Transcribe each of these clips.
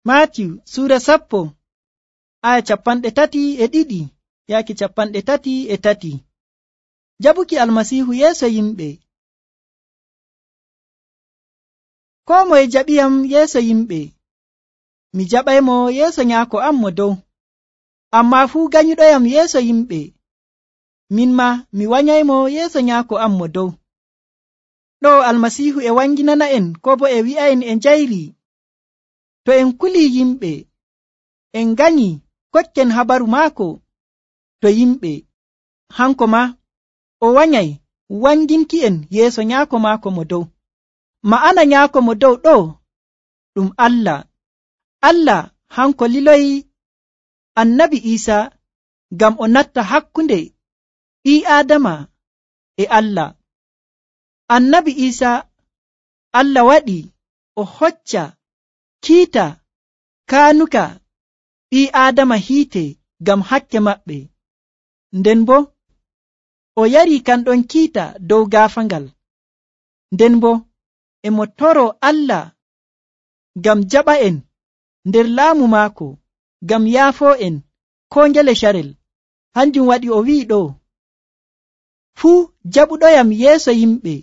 Maatiyu suura 10 aya 32 yaaki 33. Jabuki almasiihu yeeso yimɓe. Koo moye jaɓiyam yeeso yimɓe, mi jaɓaymo yeeso nyaako am mo dow. Ammaa fuu ganyuɗoyam yeeso yimɓe, min ma mi wanyaymo yeeso nyaako am mo dow. Ɗo almasiihu e wanginana en ko bo e wi'a'en e njayri, to en kulii yimɓe, en ganyi kokken habaru maako to yimɓe, hanko ma o wanyay wanginki'en yeeso nyaako maako mo dow. Ma'ana nyaako mo dow ɗo ɗum Allah. Allah hanko liloyi annabi Iisa ngam o natta hakkunde ɓii Aadama e Allah. Annabi Iisa Allah waɗi o hocca kiita kaanuka ɓii Aadama hiite ngam hakke maɓɓe, nden bo o yari kanɗon kiita dow gaafangal, nden bo e mo toro Allah ngam jaɓa'en nder laamu maako, ngam yaafoo'en koo ngele carel. Hanjum waɗi o wi'i ɗo, fuu jaɓuɗoyam yeeso yimɓe,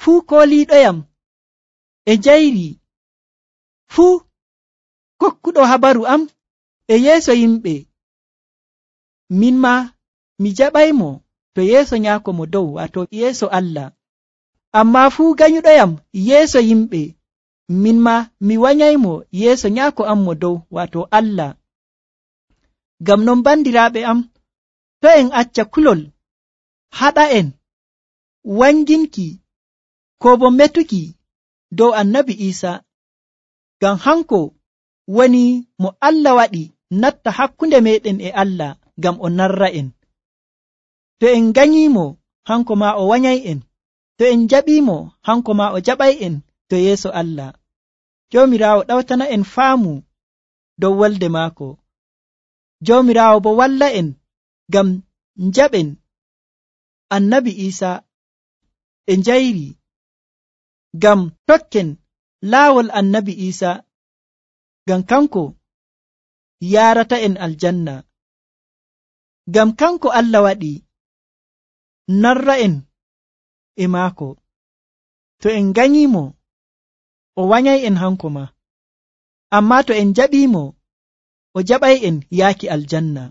fuu kooliiɗoyam e njayri, fuu kokkuɗo habaru am e yeeso yimɓe, min ma mi jaɓaymo to yeeso nyaako mo dow, wato yeeso Allah. Ammaa fuu ganyuɗoyam yeeso yimɓe, min ma mi wanyaymo yeeso nyaako am mo dow, wato Allah. Ngam non bandiraaɓe am, to en acca kulol haɗa'en wanginki ko bo metuki dow annabi Iisa, ngam hanko woni mo Allah waɗi natta hakkunde meɗen e Allah ngam o narra'en. To en ganyimo, hanko ma o wanyay'en. To en jaɓimo, hanko ma o jaɓay'en to yeeso Allah. Joomiraawo ɗawtana en faamu dow wolde maako. Joomiraawo bo walla en ngam njaɓen annabi Iisa e njayri, ngam tokken laawol annabi Iisa, ngam kanko yaarata en aljanna. Ngam kanko Allah waɗi narra'en e maako. To en ganyimo, o wanyay'en hanko ma. Ammaa to en jaɓimo, o jaɓay'en yaaki aljanna.